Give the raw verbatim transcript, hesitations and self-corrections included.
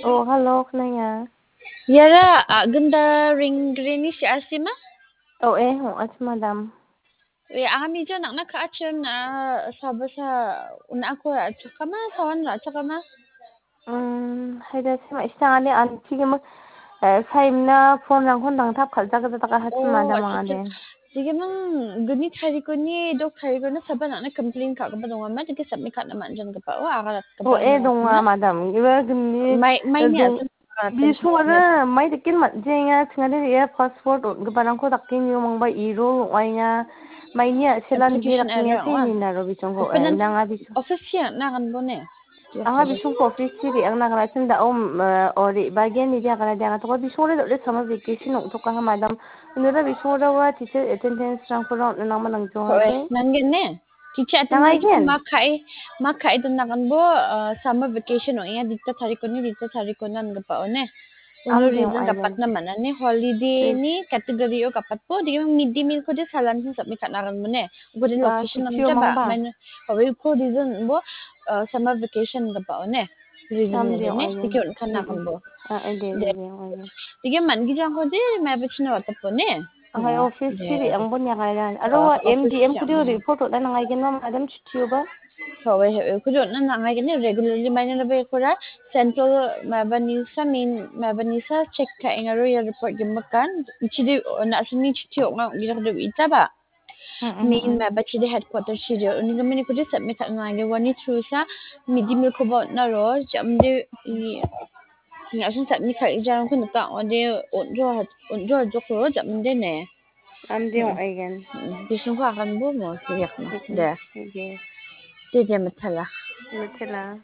Oh, hello, Knaya. Yara, a, genda ring greni si asima? Oh, eh, oh, ach madam. Eh, ami jo nakna ka achun, a, sabasa, una aku achakama, sawan achakama? Hmm, haida sima, isang ani anti gema, eh, saimna phone rangkon dangtap kalja kalja taka hach Oh, madam acha, acha. Angade. Sige mang guni tarikoni, dok tarikoni saban ana complain ka kaba donga ma, sige submit ka na manjan kaba, oh, aga rat kaba Oh, eh, donga, madam. Iba guni, Mai, mai eh, ni dong-, asan. Bisung ada, mai dekin mat jenga, tengah dia passport, oh, gaba rangko takin yo mangba iro, oh, ai nga, mai ni aselan Application dia takin error, ya, oh. Ni naro bisung ko, eh, Penan nang abis. Office ya, na kan bone. Anga bisingko office-chi re·angna gana sin da·o, mm, eh, o re·bagen ide agana de anga toko bisingore dal·e summer vacation ong·tokaha madam. Unura bisingora ua teacher attendance-rangkora on·na nangma nangjoa Ko-, eh, de. Nanggen ne? Teacher Nangaigen. Attendance ma ka·e, ma ka·e donaganbo, eh, summer vacation ong·enga dita tarikoni, dita tarikoni angipao ne. Uno Amde reason ong·aigen. Gapatna man·a ne, holiday-ni category-o gapatbo, degim mid day meal-kode salantin submit ka·na aganbo ne. Uko de Ah, location-an chutio jaba, mangba. Main, hawe uko reason bo, ah, summer vacation gapao ne. Reason Amde ne, ne, ong·aigen. Dege on·kan Mm-mm. Aganbo. Ah, eh, de, de, De. De, ong·aigen. Dege man·gijangkode maiba china watapo ne. Ahai Ya, office de, kiri de. Angbo niagairan. Aro Ah, wa office M D M ya, kudio mm. Report on·na nangaigen ma madam chutioba. Hawe, hawe, kudio on·na nangaigen ne regularly maina na bekora central maiba nisa main maiba nisa check ka·enga aro ia report gimbakan. Chidi, oh, na·sini chuti ong·a ong·gijak de itaba. Mm, mm, Main mm. Maiba chidi headquarter chidi. Uni gimini kudio submit ka·na nangaigen wani through sa midi milkoba on·aro jamde i, i asun submit ka·gijarangko nika ong·ode on·jo, on·jo jokro jamde ne. Amde Mm. Ong·aigen. Mm, bisingko aganbo mo, yakna. Mm, mm. De. Oke. De, de, mitela. Mitela.